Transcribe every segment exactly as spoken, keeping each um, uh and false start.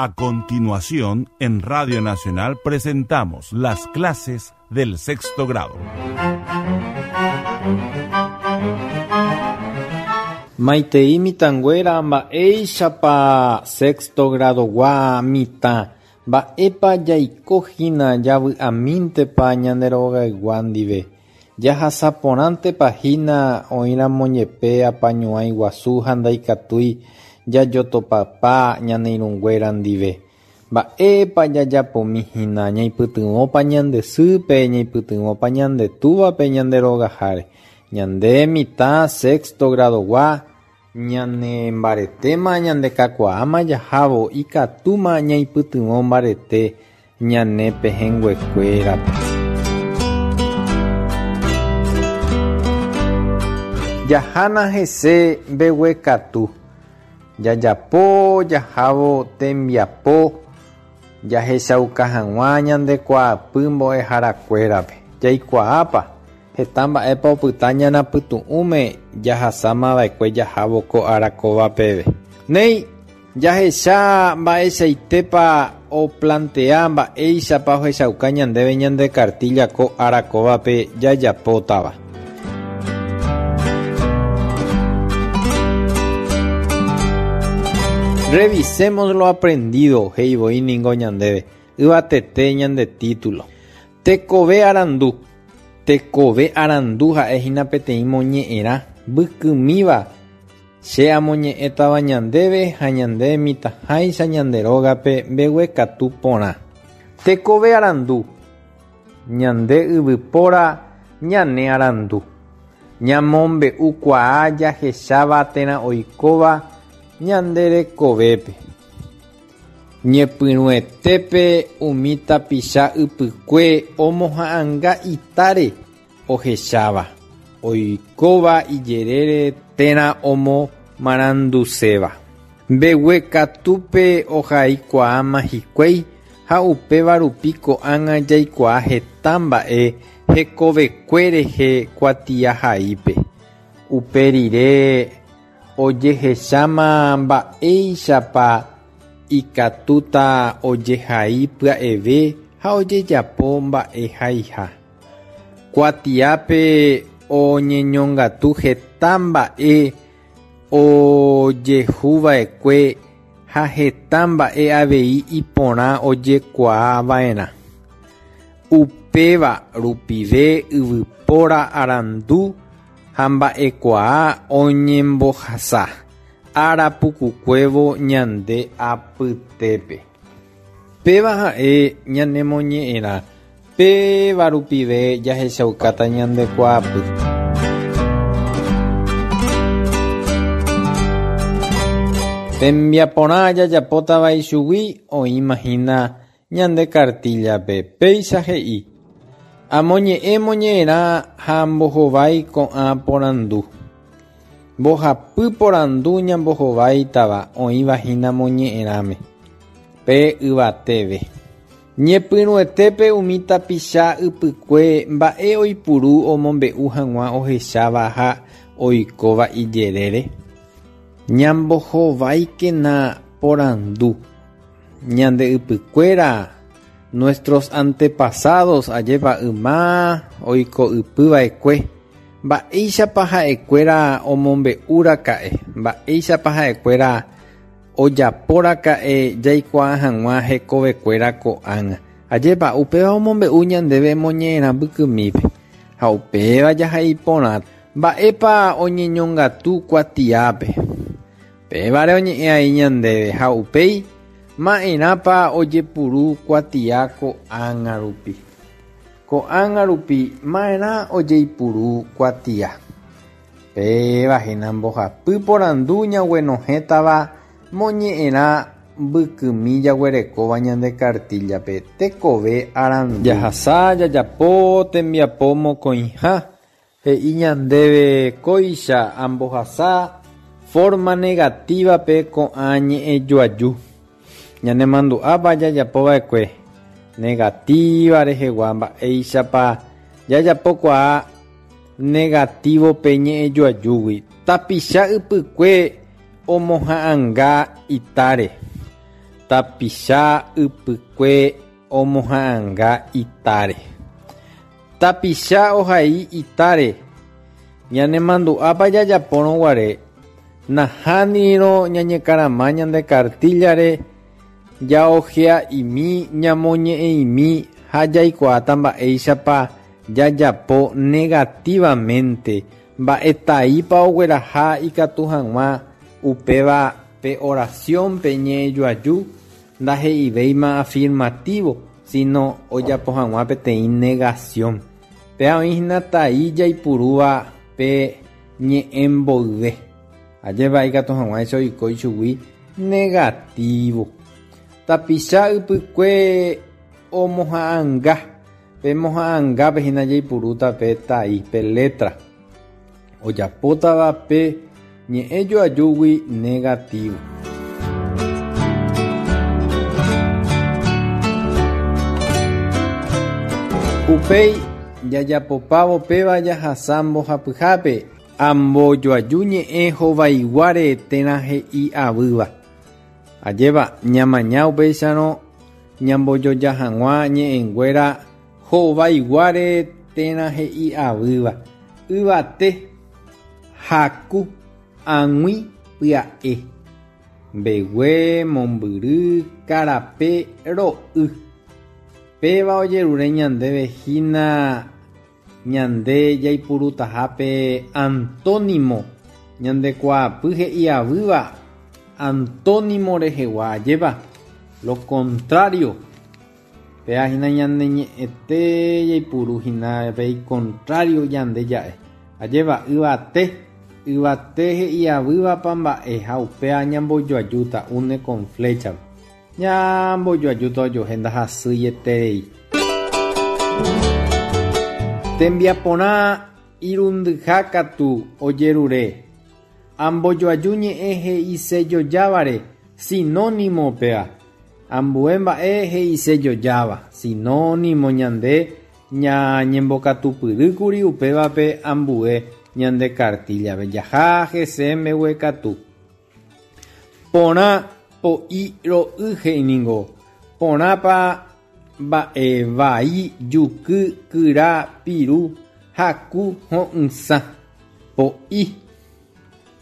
A continuación, en Radio Nacional presentamos las clases del sexto grado. Maitei mitãnguéra mba'éichapa sexto gradogua mitã mba'épa jaikohína javy'amíntepa ñande rogaygua ndive jahasaporãntepa hína oĩramo jepe apañuái guasu ha ndaikatúi jajotopapa ñane irũnguéra ndive mba'épa jajapomihína ñaipytyvõpa ñande sýpe ñaipytyvõpa ñande túvape ñande rogaháre ñande mitã sexto gradogua ñane mbaretéma ñande kakuaáma jahávo ikatúma ñaipytyvõ mbarete ñane pehẽnguekuérape. Jahána hese mbeguekatu jajapo jahávo tembiapo jahechauka hag̃ua ñandekuaapy mbo'eharakuérape jaikuaápa heta mba'épa opyta ñanapytu'ũme jahasamava'ekue jahávo ko ára kóva peve. Néi jahecha mba'eichaitépa oplantea mba'éichapa ohechauka ñandéve ñande cartilla ko ára kóvape jajapótava. Revisemos lo aprendido, he'ivoi ningo ñandéve yvatete ñande título. Tekove arandu. Tekove arandu ha'ehína peteĩ moñe'ẽrã mbykymíva che amoñe'ẽtava ñandéve ha ñande mitãháicha ñande rógape mbeguekatu porã. Tekove arandu. Ñande yvypóra ñane arandu. Ñamombe'ukuaa jahecháva térã oikóva ñande rekovépe. Ñepyrũetépe umi tapicha ypykue omoha'ãnga itáre ohecháva, oikóva ijerére térã omomaranduséva. Mbeguekatúpe ohaikuaáma hikuái ha upéva rupi ko'ág̃a jaikuaa heta mba'e hekovekue rehe kuatiahaípe. Upe rire ojehecháma mba'éichapa ikatúta ojehai pya'eve ha ojejapo mba'ehaiha. Kuatiápe oñeñongatu heta mba'e ojehuva'ekue ha heta mba'e avei iporã ojekuaava'erã. Upéva rupive yvypóra arandu ha mba'ekuaa oñembohasa ára pukukuévo ñande apytépe. Péva ha'e ñanemoñe'ẽrã péva rupive jahechaukáta ñandekuaapy. Tembiaporã jajapótava ichugui oĩmahína ñande cartillape péicha he'i amoñe'ẽ moñe'ẽrã ha mbohovái ko'ã porandu. Mbohapy porandu ñambohováitava oĩvahína moñe'ẽrãme pe yvateve. Ñepyrũetépe umi tapicha ypykue mba'e oipuru omombe'u hag̃ua ohecháva ha oikóva ijerére. Ñambohováikena porandu. Ñande ypykuéra nuestros antepasados ajépa yma oiko ypyva'ekue mba'éichapa ha'ekuéra omombe'úraka'e mba'éichapa ha'ekuéra ojapóraka'e jaikuaa hag̃ua hekovekuéra ko'ág̃a. Ajépa upéva omombe'u ñandéve moñe'ẽrã mbykymípe ha upéva jahai porã mba'épa oñeñongatu kuatiápe. Pévare oñe'ẽ ai ñandéve ha upéi ma'erãpa ojepuru kuatia ko'ág̃a rupi. Ko'ág̃a rupi ma'erã ojeipuru kuatia. Péva hína mbohapy porandu ñaguenohẽtava moñe'ẽrã mbykymi jaguerekóva ñande cartillape tekove arandu. Jahasa jajapo tembiapo mokõiha he'i ñandéve kóicha ambohasa forma negativape ko'ã ñe'ẽjoaju. Ñanemandu'ápa jajapova'ekue negativa rehegua mba'éichapa jajapokuaa negativope ñe'ẽjoajúgui. Tapicha ypykue omoha'ãnga itáre. Tapicha ypykue omoha'ãnga itáre. Tapicha ohai itáre. Ñanemandu'ápa jajapórõ guare nahánirõ ñañekarama ñande kartíllare jaojea'imi ñamoñe'ẽ'imi ha jaikuaáta mba'éichapa jajapo negativamente mba'etaípa ogueraha ikatu hag̃ua upéva pe oración pe ñe'ẽjoaju ndahe'ivéima afirmativo sino ojapo hag̃ua peteĩ negación. Péa oĩhína tai jaipurúva pe ñe'ẽ mboyve. Ajépa ikatu hag̃uáicha oiko ichugui negativo. Tapicha ypykue omoha'ãnga. Pe moha'ãngápe hína jaipurúta pe tai, pe letra. Ojapótava pe ñe'ẽjoajúgui negativo. Upéi jajapopávo péva jahasa mbohapyhápe ambojoaju ñe'ẽ hovaiguáre térã he'i avýva. Ajépa ñamaña upéicharõ ñambojoja hag̃ua ñe'ẽnguéra hovaiguáre térã he'i avýva. Yvate, haku, ag̃ui, pya'e. Mbegue, mombyry, karape, ro'y. Péva ojerure ñandéve hína ñande jaipurutahápe antónimo ñandekuaapy he'i avýva antónimo rehegua. Ajépa lo contrario. Péa hína ñande ñe'ẽte jaipuru hína pe icontrario ñande ja'e. Ajépa yvate, yvate he'i avývapa mba'e ha upéa ñambojoajúta une con flecha. Ñambojoajúta ojohe ndahasýieterei. Tembiaporã irundyha katu ojerure. Ambojoaju ñe'ẽ he'isejojáváre sinónimo péa. Ambue mba'e he'isejojáva sinónimo ñande ñañembokatupyrýkuri upévape ambue ñande kartíllape. Jaha hese mbeguekatu. Porã po'i ro'y he'iningo. Porãpa mba'e vai juky kyra piru haku ho'ysã. Po'i.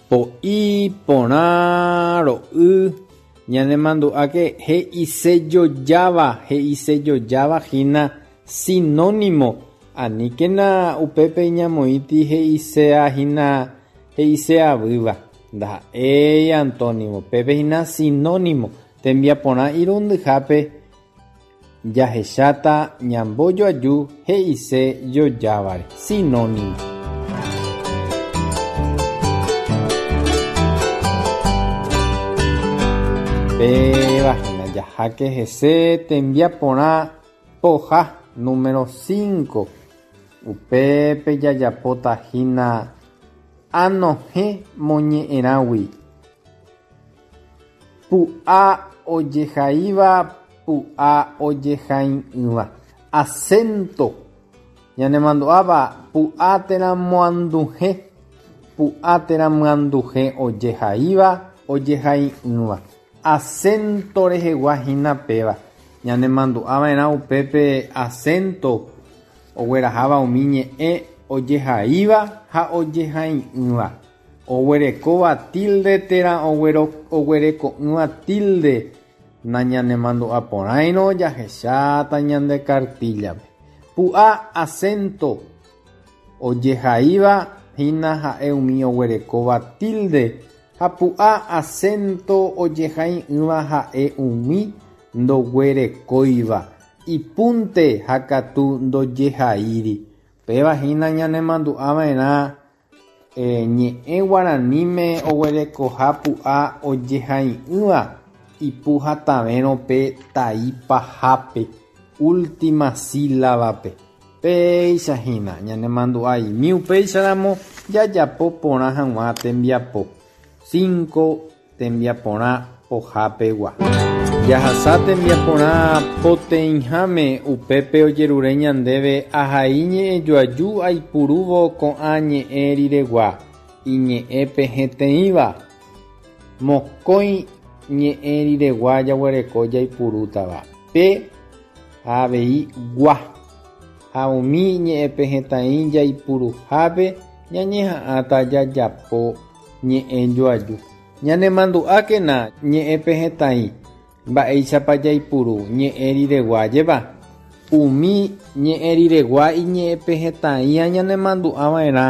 Po'i porã ro'y ñanemandu'áke he'isejojáva he'isejojáva hína sinónimo. Aníkena upépe ñamoĩti he'iseahína he'iseavýva. Ndaha'éi antónimo. Pépe hína sinónimo. Tembiaporã irundyhápe jahecháta ñambojoaju he'isejojávare. Sinónimo. Péva hína jaháke hese tembiaporã poha número cinco. Upépe jajapóta hína anohẽ moñe'ẽrãgui. Pu'a ojehaíva pu'a ojehai'ỹva. Acento. Ñanemandu'ápa pu'a térã moanduhe. Pu'a térã myanduhe ojehaíva ojehai'ỹva. Acento rehegua hína péva. Ñanemandu'ava'erã upépe acento ogueraháva umi ñe'ẽ ojehaíva ha ojehai'ỹva. Oguerekóva tilde térã oguereko'ỹva tilde. Nañanemandu'aporãirõ jahecháta ñande kartíllape. Pu'a acento ojehaíva hína ha'e umi oguerekóva tilde ha pu'a acento ojehai'ỹva ha'e umi ndoguerekóiva. Ipunte ha katu ndojehaíri. Péva hína ñanemandu'ava'erã ñe'ẽ guaraníme oguerekoha pu'a ojehai'ỹva ipu hatavérõ pe tai pahápe última sílabape. Péicha hína ñanemandu'aimi upéicharamo jajapo porã hag̃ua tembiapo. Cinco tembiaporã pohápegua. Jahasa tembiaporã poteĩháme upépe ojerure ñandéve ahai ñe'ẽjoaju aipurúvo ko'ã ñe'ẽ riregua iñe'ẽpe heteĩva. Mokõi ñe'ẽ riregua jaguereko jaipurútava pe ha avei gua ha umi ñe'ẽpehẽtai jaipuruhápe ñañeha'ãta jajapo ñe'ẽ joaju. Ñanemandu'ákena ñe'ẽpehẽtai mba'éichapa jaipuru ñe'ẽ riregua jeva. Umi ñe'ẽ riregua iñe'ẽpehẽtaĩa ñanemandu'ava'erã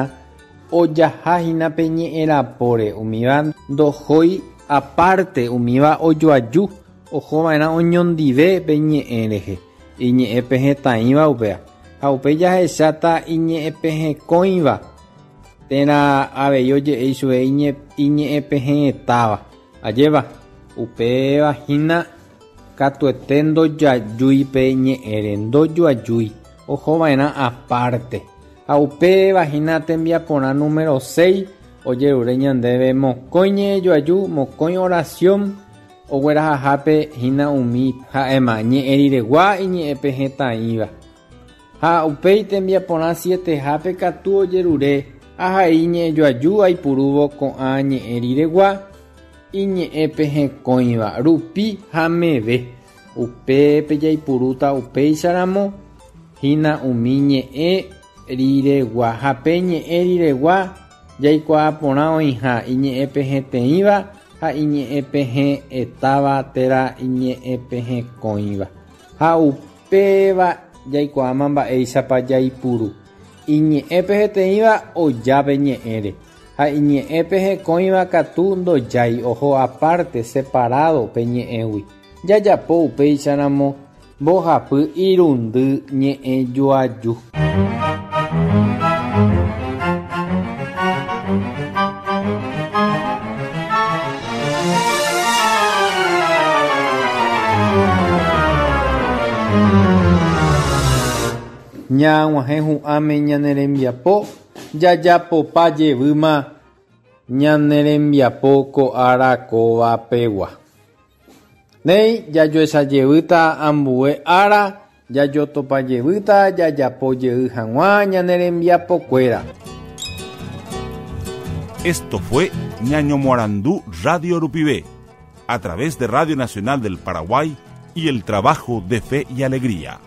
ojahahína pe ñe'ẽ rapóre umíva ndohói aparte umíva ojoaju ohova'erã oñondive pe ñe'ẽ rehe iñe'ẽpehẽtaĩva upéva ha upe jahecháta iñe'ẽpehẽkõiva térã avei oje'e ichupe iñe'ẽpehẽtáva ajéva upéva hína katuete ndojajúi pe ñe'ẽre ndojoajúi ohova'erã aparte ha upéva hína tembiaporã número seis ojerure ñandéve mokõi ñe'ẽjoaju mokõi oración oguerahahápe hína umi ha'éma ñe'ẽ riregua iñe'ẽpehẽtaĩva ha upéi tembiaporã sietehápe katu ojerure ahai ñe'ẽjoaju aipurúvo ko'ã ñe'ẽ riregua iñe'ẽpehẽkõiva rupi ha meve upépe jaipurúta upéicharamo hína umi ñe'ẽ riregua ha pe ñe'ẽ riregua jaikuaa porã oĩha iñe'ẽpehẽteĩva ha iñe'ẽpehẽ'etáva térã iñe'ẽpehẽkõiva ha upéva jaikuaáma mba'éichapa jaipuru iñe'ẽpehẽteĩva oja pe ñe'ẽre ha iñe'ẽpehẽkõiva katu ndojái oho aparte separado pe ñe'ẽgui jajapo upéicharamo mbohapy irundy ñe'ẽjoaju. Ñag̃uahẽ hu'ãme ñane rembiapo jajapopa jevýma ñane rembiapo ko ára kóva pegua. Néi jajoechajevýta ambue ára jajotopajevýta jajapojey hag̃ua ñane rembiapokuéra. Esto fue Ñaño Morandú Radio Rupive, a través de Radio Nacional del Paraguay y el trabajo de Fe y Alegría.